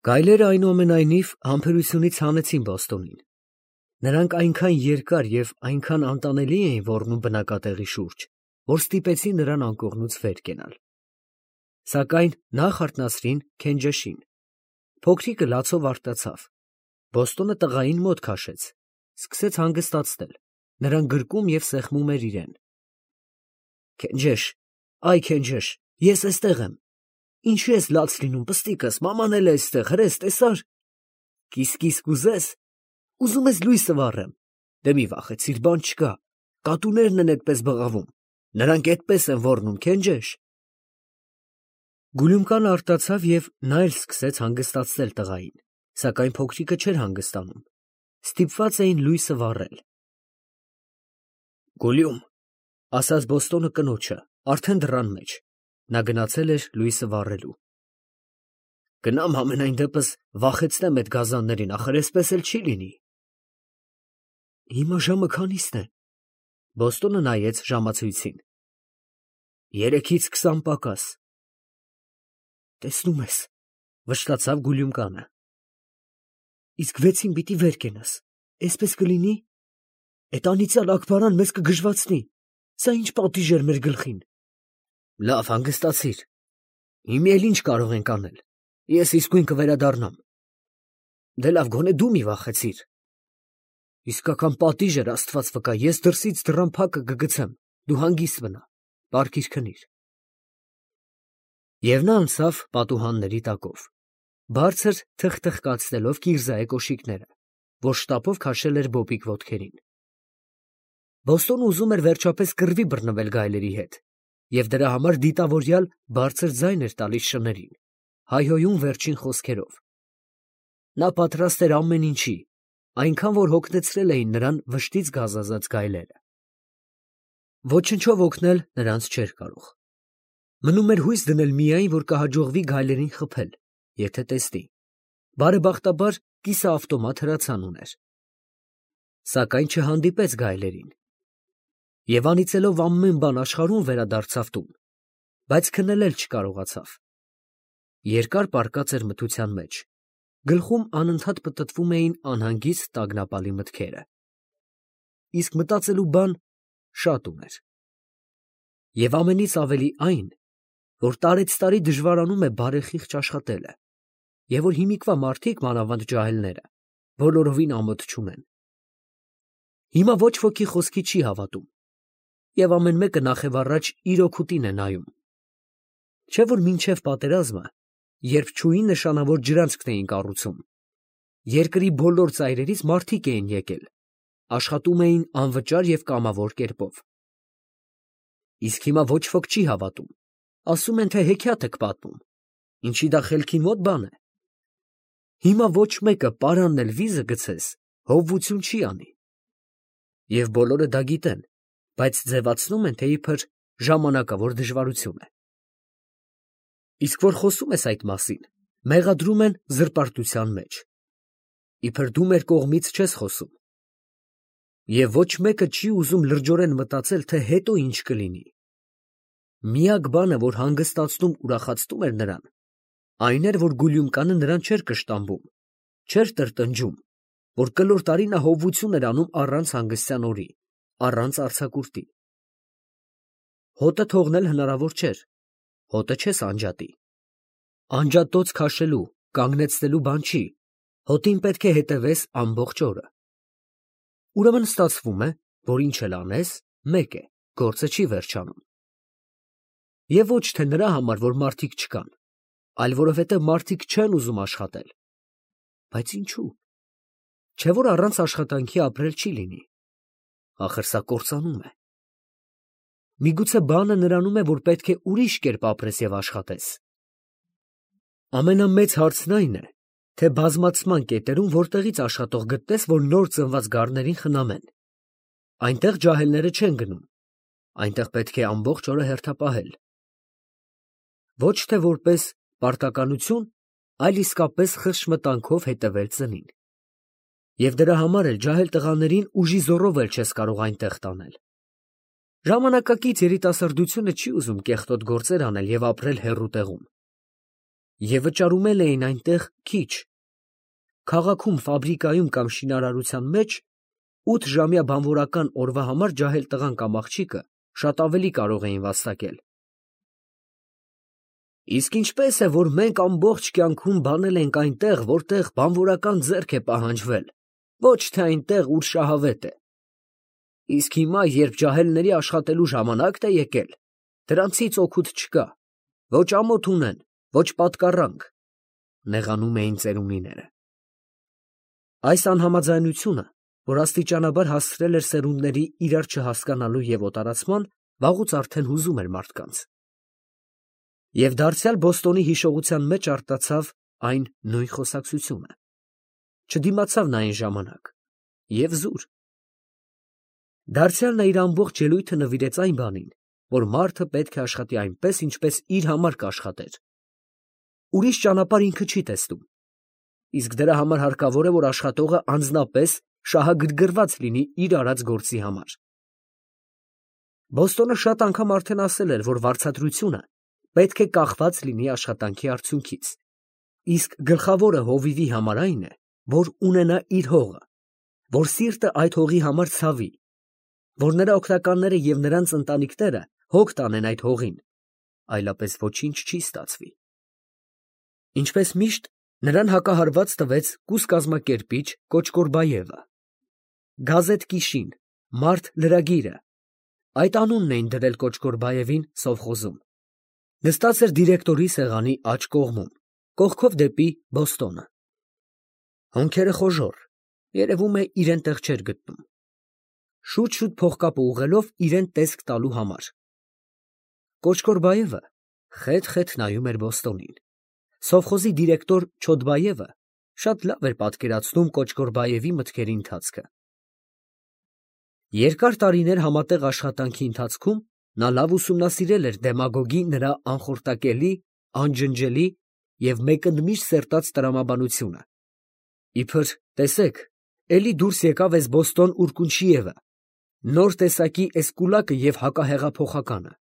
Գայլերը այնուամենայնիվ համբերությունից հանեցին Բոստոնին. նրանք այնքան երկար և այնքան անտանելի էին ոռնում բնակատեղի շուրջ, որ ստիպեցին նրան անկողնուց վեր կենալ. Սակայն նախ արթնացրին Քենջեշին. փոքրիկը լացով արթնացավ, Բոստոնը տղային մոտ քաշեց, սկսեց հանգստացնել, նրան գրկում և սեղմում էր իրեն. Քենջեշ, այ Քենջեշ, ես էստեղ եմ, ինչի ես լաց լինում, պստիկս, մաման էլ է էստեղ, հրես, տեսա՞ր, կիս կուզես, ուզում ես լույսը վառեմ, դե մի վախեցիր, բան չկա, կատուներն են էդպես բղավում, նրանք էդպես են ոռնում, Քենջեշ։ Գուլյումկանը արտացավ և նա էլ սկսեց հանգստացնել տղային, սակայն փոքրիկը չէր հանգստանում, ստիպված էին լույսը վառել։ Գուլյում, ասաց Բոստոնը կնոջը, արդեն դռան մեջ, նա գնացել էր լույսը վառելու։ Գնամ համենայն դեպս վախեցնեմ այդ գազաններին, ախր էսպես էլ չի լինի։ Հիմա ժամը քանիսն է։ Բոստոնը նայեց ժամացույցին։ 3-20 պակաս։ Տեսնում ես, վշտացավ Գուլյումկանը։ Իսկ 6-ին պիտի վեր կենաս, էսպես կլինի։ Էդ անիծյալ Աքբարան մեզ կգժվացնի, սա ինչ պատիժ էր մեր գլխին։ Լավ, հանգստացիր։ Հիմա էլ ինչ կարող ենք անել։ Ես իսկույն կվերադառնամ։ Դե լավ, գոնե դու մի վախեցիր։ Իսկական պատիժ էր, Աստված վկա, ես դրսից դռան փակը կգցեմ, դու հանգիստ մնա, պառկիր քնիր։ Եվ նա անցավ պատուհանների տակով, բարձր թխթխկացնելով կիրզայի կոշիկները, որ շտապով քաշել էր բոբիկ ոտքերին։ Բոստոնը ուզում էր վերջապես կռվի բռնվել գայլերի հետ, և դրա համար դիտավորյալ բարձր ձայն էր տալիս շներին, հայհոյում վերջին խոսքերով։ Նա պատրաստ էր ամեն ինչի, այնքան որ հոգնեցրել էին նրան վշտից գազազած գայլերը։ Ոչնչով օգնել նրանց չէր կարող։ Մնում էր հույս դնել միայն, որ կհաջողվի գայլերին խփել, եթե տեսնի։ Բարեբախտաբար կիսաավտոմատ հրացան ուներ։ Սակայն չհանդիպեց գայլերին։ Եվ անիծելով ամեն բան աշխարհում վերադարձավ տուն, բայց քննել չկարողացավ։ Երկար պառկած էր մթության մեջ, գլխում անընդհատ պտտվում էին անհանգիստ տագնապալի մտքերը։ Իսկ մտածելու բան շատ ուներ։ Եվ ամենից ավելի այն, որ տարեցտարի դժվարանում է բարեխիղճ աշխատելը, և որ հիմիկվա մարդիկ, մանավանդ ջահելները, բոլորովին ամոթ չունեն։ Հիմա ոչ ոքի խոսքի չի հավատում, և ամեն մեկը նախևառաջ իր օգուտին է նայում։ Չէ՞ որ մինչև պատերազմը, երբ չուի նշանավոր ջրանցքն էին կառուցում, երկրի բոլոր ծայրերից մարդիկ էին եկել, աշխատում էին անվճար և կամավոր կերպով։ Իսկ հիմա ոչ ոք չի հավատում, ասում են, թե հեքիաթ եք պատմում, ինչի դա խելքի մոտ բան է։ Հիմա ոչ մեկը պարանն էլ վիզը գցես, հովվություն չի անի։ Եվ բոլորը դա գիտեն, բայց ձևացնում են, թե իբր ժամանակավոր դժվարություն է։ Իսկ որ խոսում ես այդ մասին, մեղադրում են զրպարտության մեջ։ Իբր դու մեր կողմից չես խոսում։ Եվ ոչ մեկը չի ուզում լրջորեն մտածել, թե հետո ինչ կլինի։ Միակ բանը, որ հանգստացնում ուրախացնում էր նրան, այն էր, որ Գուլյումկանը նրան չէր կշտամբում, չէր տրտնջում, որ կլոր տարի նա հովվություն էր անում առանց հանգստյան օրի, առանց արձակուրդի։ Հոտը թողնել հնարավոր չէր, հոտը չես անջատի։ Անջատոց քաշելու, կանգնեցնելու բան չի, հոտին պետք է հետևես ամբողջ օրը։ Ուրեմն ստացվում է, որ ինչ էլ անես, մեկ է, գործը չի վերջանում։ Եվ ոչ թե նրա համար, որ մարդիկ չկան, այլ որովհետև մարդիկ չեն ուզում աշխատել։ Բայց ինչու՞։ Չէ՞ որ առանց աշխատանքի ապրել չի լինի։ Ախր սա կործանում է։ Միգուցե բանը նրանում է, որ պետք է ուրիշ կերպ ապրես և աշխատես։ Ամենամեծ հարցն այն է, թե բազմացման կետերում որտեղից աշխատող գտնես, որ նոր ծնված գառներին խնամեն։ Այնտեղ ջահելները չեն գնում, այնտեղ պետք է ամբողջ օրը հերթապահել։ Ոչ թե որպես պարտականություն, այլ իսկապես խրճմտանքով հետևել ծնին։ Եվ դրա համար էլ ջահել տղաներին ուժի զոռով էլ չես կարող այնտեղ տանել։ Ժամանակակից երիտասարդությունը չի ուզում կեղտոտ գործեր անել և ապրել հեռու տեղում։ և վճարում էին այնտեղ քիչ։ Քաղաքում, ֆաբրիկայում կամ շինարարության մեջ 8 ժամյա բանվորական օրվա համար ջահել տղան կամ աղջիկը շատ ավելի կարող էին վաստակել։ Իսկ ինչպես է, որ մենք ամբողջ կյանքում բանել ենք այնտեղ, որտեղ բանվորական ձեռք է պահանջվել, ոչ թե այնտեղ, ուր շահավետ է։ Իսկ հիմա, երբ ջահելների աշխատելու ժամանակն է եկել, դրանցից օգուտ չկա, ոչ ամոթ ունեն, ոչ պատկառանք, նեղանում էին ծերունիները։ Այս անհամաձայնությունը, որ աստիճանաբար հասցրել էր սերունդների իրար չհասկանալու և օտարացման, վաղուց արդեն հուզում էր մարդկանց։ Եվ դարձյալ Բոստոնի հիշողության մեջ արտացավ այն նույն խոսակցությունը։ Չդիմացավ նա այն ժամանակ և զուր։ Դարձյալ նա իր ամբողջ ելույթը նվիրեց այն բանին, որ մարդը պետք է աշխատի այնպես, ինչպես իր համար կաշխատեր։ Ուրիշ ճանապարհ ինքը չի տեսնում, իսկ դրա համար հարկավոր է, որ աշխատողը անձնապես շահագրգռված լինի իր արած գործի համար։ Բոստոնը շատ անգամ արդեն ասել էր, որ վարձատրությունը պետք է կախված լինի աշխատանքի արդյունքից, իսկ գլխավորը հովիվի համար այն է, որ ունենա իր հողը, որ սիրտը այդ հողի համար ցավի, որ նրա օգնականները և նրանց ընտանիքները հոգ տանեն այդ հողին, այլապես ոչինչ չի ստացվի։ Ինչպես միշտ, նրան հակահարված տվեց կուսկազմակերպիչ Կոչկորբաևը։ Գազեթ Կիշին, մարդ լրագիրը, այդ անունն էին դրել Կոչկորբաևին սովխոզում։ Նստած էր դիրեկտորի սեղանի աջ կողմում, կողքով դեպի Բոստոնը։ Հոնքերը խոժոռ, երևում է իրեն տեղ չէր գտնում։ Շուտ-շուտ փողկապը ուղղելով իրան տեսք տալու համար։ Կոչկորբաևը խեթ նայում էր Բոստոնին։ Սովխոզի դիրեկտոր Չոդբաևը շատ լավ էր պատկերացնում Կոչկորբաևի մտքերի ընթացքը։ Երկար տարիներ համատեղ աշխատանքի ընթացքում նա լավ ուսումնասիրել էր դեմագոգի նրա անխորտակելի, անջնջելի և մեկընդմիշտ սերտած տրամաբանությունը։ Իբր տեսեք, էլի դուրս եկավ էս Բոստոն Ուրկունչիևը, նոր տեսակի էս կուլակը և հակահեղափոխականը։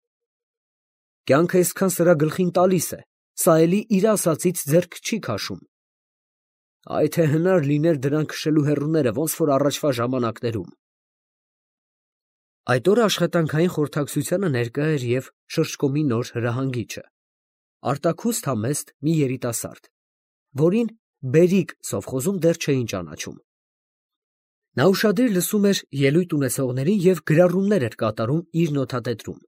Կյանքը այսքան սրա գլխին տալիս է, սա էլի իր ասածից ձեռք չի քաշում։ Այ թե հնար լիներ դրան քշելու հեռուները, ոնց որ առաջվա ժամանակներում։ Այդ օրը աշխատանքային խորհրդակցությանը ներկա էր և շրջկոմի նոր հրահանգիչը, արտաքուստ համեստ մի երիտասարդ, որին Բերիկ սովխոզում դեռ չէին ճանաչում։ Նա ուշադիր լսում էր ելույթ ունեցողներին և գրառումներ էր կատարում իր նոթատետրում։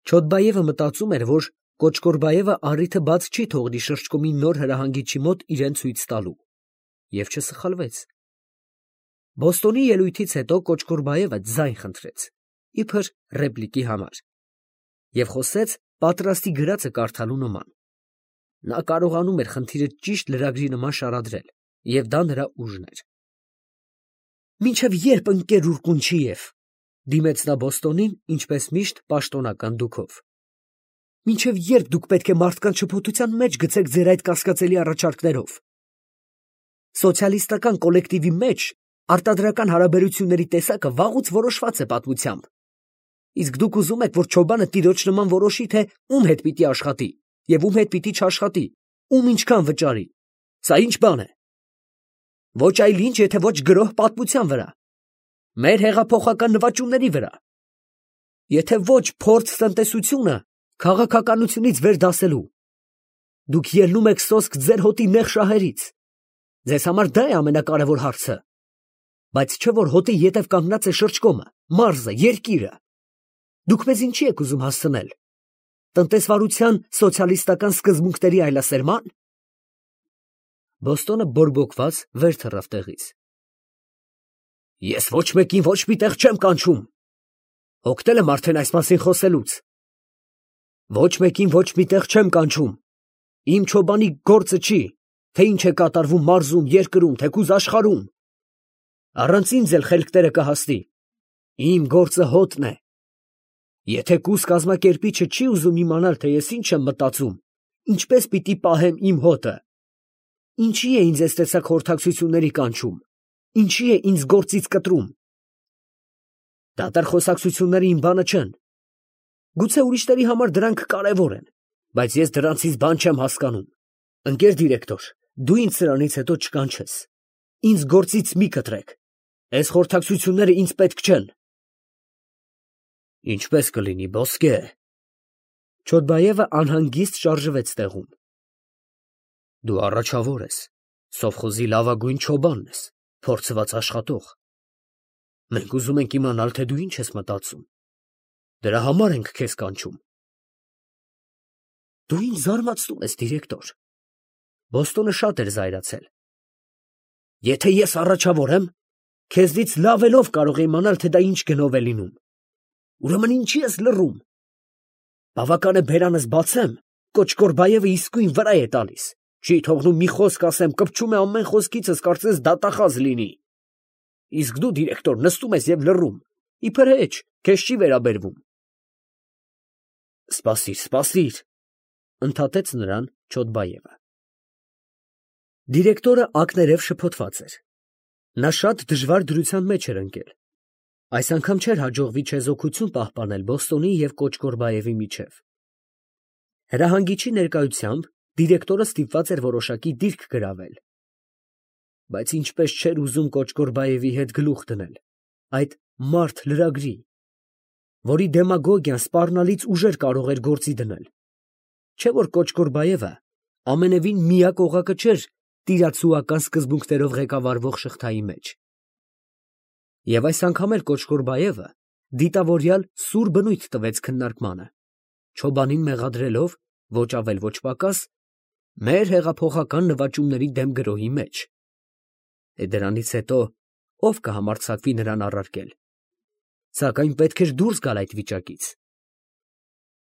Չոդբաևը մտածում էր, որ Կոչկորբաևը առիթը բաց չի թողնի շրջկոմի նոր հրահանգիչի մոտ իրեն ցույց տալու, և չսխալվեց։ Բոստոնի ելույթից հետո Կոչկորբաևը ձայն խնդրեց, իբր ռեպլիկի համար, և խոսեց պատրաստի գրածը կարդալու նման։ Նա կարողանում էր խնդիրը ճիշտ լրագրի նման շարադրել, և դա նրա ուժն էր։ «Մինչև ե՞րբ, ընկեր Ուրկունչիև», դիմեց նա Բոստոնին, ինչպես միշտ պաշտոնական դուքով։ «Մինչև ե՞րբ դուք պետք է մարդկանց շփոթության մեջ գցեք ձեր այդ կասկածելի առաջարկներով։ Սոցիալիստական կոլեկտիվի մեջ արտադրական հարաբերությունների տեսակը վաղուց որոշված է պատմությամբ, իսկ դուք ուզում եք, որ Չոբանը տիրոջ նման որոշի, թե ում հետ պիտի աշխատի և ում հետ պիտի չաշխատի, ում ինչքան վճարի։ Սա ի՞նչ բան է։ Ոչ այլ ինչ, եթե ոչ գրոհ պատմության վրա, մեր հեղափոխական նվաճումների վրա, եթե ոչ փորձ տնտեսությունը քաղաքականությունից վեր դասելու։ Դուք ելնում եք սոսկ ձեր հոտի նեղ շահերից։ Ձեզ համար դա է ամենակարևոր հարցը։ Բայց չէ՞ որ հոտի ետև կանգնած է շրջկոմը, մարզը, երկիրը։ Դուք մեզ ինչի եք ուզում հասցնել։ Տնտեսվարության սոցիալիստական սկզբունքների այլասերման։ Բոստոնը բորբոքված վեր թռավ տեղից։ Ես ոչ մեկին ոչ մի տեղ չեմ կանչում։ Հոգնել եմ արդեն այս մասին խոսելուց։ Ոչ մեկին ոչ մի տեղ չեմ կանչում։ Իմ Չոբանի գործը չի, թե ինչ է կատարվում մարզում, երկրում, թեկուզ աշխարհում։ Առանց ինձ էլ խելքները կհասնի։ Իմ գործը հոտն է։ Եթե կուս կազմակերպիչը չի ուզում իմանալ, թե ես ինչ եմ մտածում, ինչպես պիտի պահեմ իմ հոտը, ինչի է ինձ այս տեսակ խորհրդակցությունների կանչում, ինչի է ինձ գործից կտրում։ Դատարկ խոսակցությունները իմ բանը չեն։ Գուցե ուրիշների համար դրանք կարևոր են, բայց ես դրանցից բան չեմ հասկանում։ Ընկեր դիրեկտոր, դու ինձ սրանից հետո չկանչես։ Ինձ գործից մի կտրեք։ Այս խորհրդակցությունները ինձ պետք չեն։ Ինչպես կլինի, ոսկե։ Չոդբայևը անհանգիստ շարժվեց տեղում։ Դու առաջավոր ես, սովխոզի լավագույն չոբանն ես, փորձված աշխատող։ Մենք ուզում ենք իմանալ, թե դու ինչ ես մտածում։ Դրա համար ենք քեզ կանչում։ Դու ինձ զարմացնում ես, դիրեկտոր։ Բոստոնը շատ էր զայրացել։ Եթե ես առաջավոր եմ, քեզնից լավելով կարող եմ իմանալ, թե դա ինչ գնով է լինում։ Ուրեմն ինչի ես լռում։ Բավական է բերանս բացեմ, Կոչկորբայևը իսկույն վրա է տալիս։ Չի թողնում մի խոսք ասեմ, կպչում է ամեն խոսքիցս, կարծես դատախազ լինի։ Իսկ դու, դիրեկտոր, նստում ես եւ լռում։ Իբր հեչ, քեզ չի վերաբերվում։ Սպասիր, ընդհատեց նրան Չոդբայևը։ Դիրեկտորը ակներև շփոթված էր։ Նա շատ դժվար դրության մեջ էր ընկել։ Այս անգամ չէր հաջողվի չեզոքություն պահպանել Բոստոնի և Կոչկորբայևի միջև։ Հրահանգիչի ներկայությամբ դիրեկտորը ստիպված էր որոշակի դիրք գրավել։ Բայց ինչպես չէր ուզում Կոչկորբայևի հետ գլուխ դնել, այդ մարդ լրագրի, որի դեմագոգիան սպառնալից ուժեր կարող էր գործի դնել։ Չէ որ Կոչկորբայևը ամենևին միակ օղակը չէր տիրացուական սկզբունքներով ղեկավարվող շղթայի մեջ։ Եվ այս անգամ էլ Կոչկորբայևը դիտավորյալ սուր բնույթ տվեց քննարկմանը, չոբանին մեղադրելով, ոչ ավել ոչ պակաս, մեր հեղափոխական նվաճումների դեմ գրոհի մեջ։ Դրանից հետո ով կհամարձակվի նրան առարկել։ Սակայն պետք էր դուրս գալ այդ վիճակից։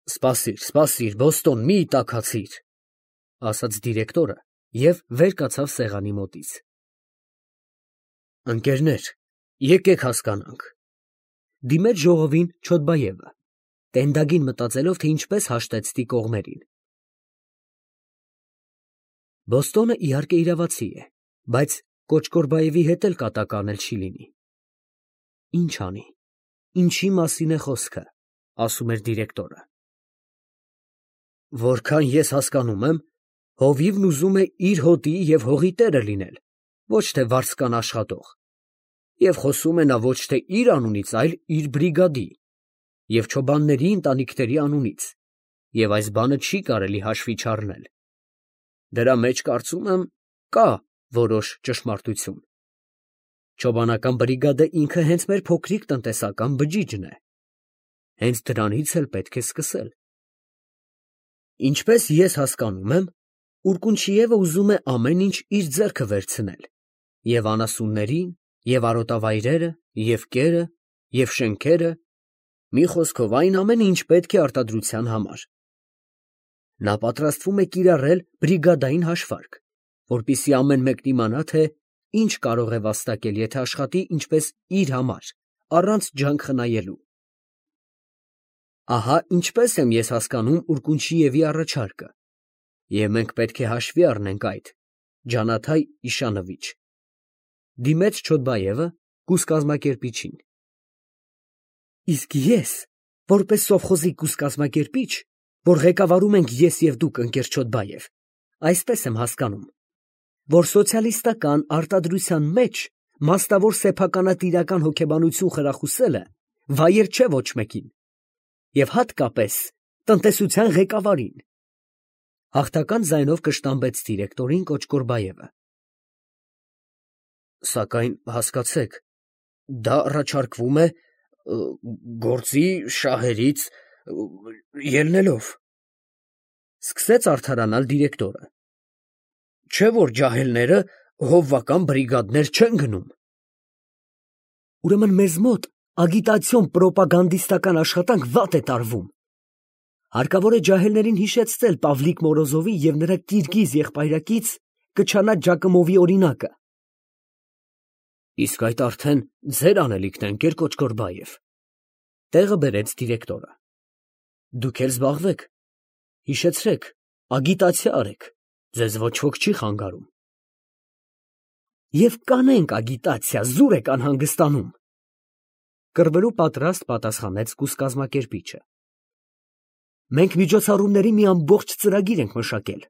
Սպասիր, Բոստոն, մի տաքացիր, ասաց դիրեկտորը և վեր կացավ սեղանի մոտից։ Ընկերներ, եկեք հասկանանք։ Դիմեց ժողովին Չոդբայևը, տենդագին մտածելով, թե ինչպես հաշտեցնի կողմերին։ Բոստոնը իհարկե իրավացի է, բայց Կոչկորբայևի հետ էլ կատակ անել չի լինի։ Ինչ անի, ինչի մասին է խոսքը, ասում էր դիրեկտորը։ Որքան ես հասկանում եմ, հովիվն ուզում է իր հոտի և հողի տերը լինել, ոչ թե վարձկան աշխատող, և խոսում է նա ոչ թե իր անունից, այլ իր բրիգադի և չոբանների ընտանիքների անունից, և այս բանը չի կարելի հաշվի չառնել։ Դրա մեջ, կարծում եմ, կա որոշ ճշմարտություն։ Չոբանական բրիգադը ինքը հենց մեր փոքրիկ տնտեսական բջիջն է։ Հենց դրանից էլ պետք է սկսել։ Ինչպես ես հասկանում եմ, Ուրկունչիևը ուզում է ամեն ինչ իր ձեռքը վերցնել, և անասուններին, և արոտավայրերը, և կերը, և շենքերը, մի խոսքով այն ամենը, ինչ պետք է արտադրության համար։ Նա պատրաստվում է կիրառել բրիգադային հաշվարկ, որպեսզի ամեն մեկն իմանա, թե ինչ կարող է վաստակել, եթե աշխատի ինչպես իր համար, առանց ջանք խնայելու։ Ահա ինչպես եմ ես հասկանում Ուրկունչիևի առաջարկը, և մենք պետք է հաշվի առնենք այդ, Ջանաթայ Իշանովիչ, դիմեց Չոդբայևը կուսկազմակերպիչին։ Իսկ ես, որպես սովխոզի կուսկազմակերպիչ, որ ղեկավարում ենք ես և դուք, ընկեր Չոդբայև, այսպես եմ հասկանում, որ սոցիալիստական արտադրության մեջ մասնավոր սեփականատիրական հոգեբանություն խրախուսելը վայել չէ ոչ մեկին, և հատկապես տնտեսության ղեկավարին։ Հաղթական ձայնով կշտամբեց դիրեկտորին Կոչկորբայևը։ Սակայն հասկացեք, դա առաջարկվում է գործի շահերից ելնելով, սկսեց արդարանալ դիրեկտորը։ Չէ որ ջահելները հովվական բրիգադներ չեն գնում։ Ուրեմն մեզ մոտ ագիտացիոն պրոպագանդիստական աշխատանք վատ է տարվում։ Հարկավոր է ջահելներին հիշեցնել Պավլիկ Մորոզովի և նրա կիրգիզ եղբայրակից Կչանա Ջակոմովի օրինակը։ Իսկ այդ արդեն ձեր անելիքն է, ընկեր Կոչկորբայև, տեղը բերեց դիրեկտորը։ Դուք էլ զբաղվեք, հիշեցրեք, ագիտացիա արեք, ձեզ ոչ ոք չի խանգարում։ Եվ կանենք ագիտացիա, զուր եք անհանգստանում, կռվելու պատրաստ պատասխանեց կուսկազմակերպիչը։ Մենք միջոցառումների մի ամբողջ ծրագիր ենք մշակել,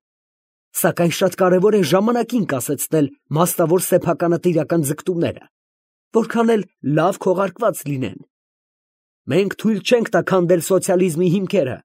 սակայն շատ կարևոր է ժամանակին կասեցնել մասնավոր սեփականատիրական ձգտումները, որքան էլ լավ քողարկված լինեն։ Մենք թույլ չենք տա քանդել սոցիալիզմի հիմքերը։